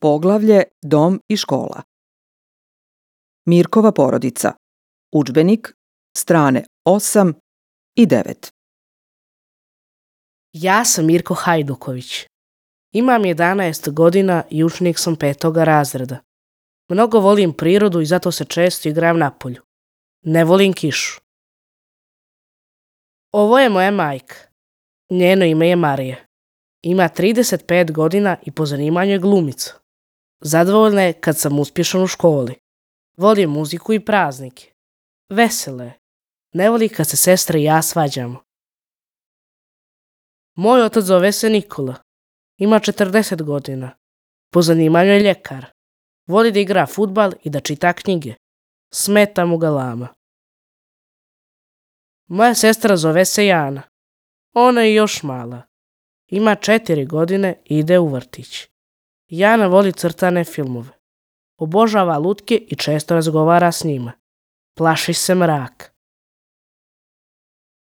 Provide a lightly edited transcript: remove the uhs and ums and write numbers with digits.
Poglavlje Dom i škola. Mirkova porodica. Udžbenik, strane 8 i 9. Ja sam Mirko Hajduković. Imam 11 godina i učenik sam 5. razreda. Mnogo volim prirodu i zato se često igram napolju. Ne volim kišu. Ovo je moja majka. Njeno ime je Marija. Ima 35 godina i po zanimanju je glumica. Zadovoljna je kad sam uspješan u školi. Voli muziku i praznike. Vesela je. Ne voli kad se sestra i ja svađamo. Moj otac zove se Nikola. Ima 40 godina. Po zanimanju je ljekar. Voli da igra fudbal i da čita knjige. Smeta mu galama. Moja sestra zove se Jana. Ona je još mala. Ima 4 godine i ide u vrtić. Jana voli crtane filmove. Obožava lutke i često razgovara s njima. Plaši se mraka.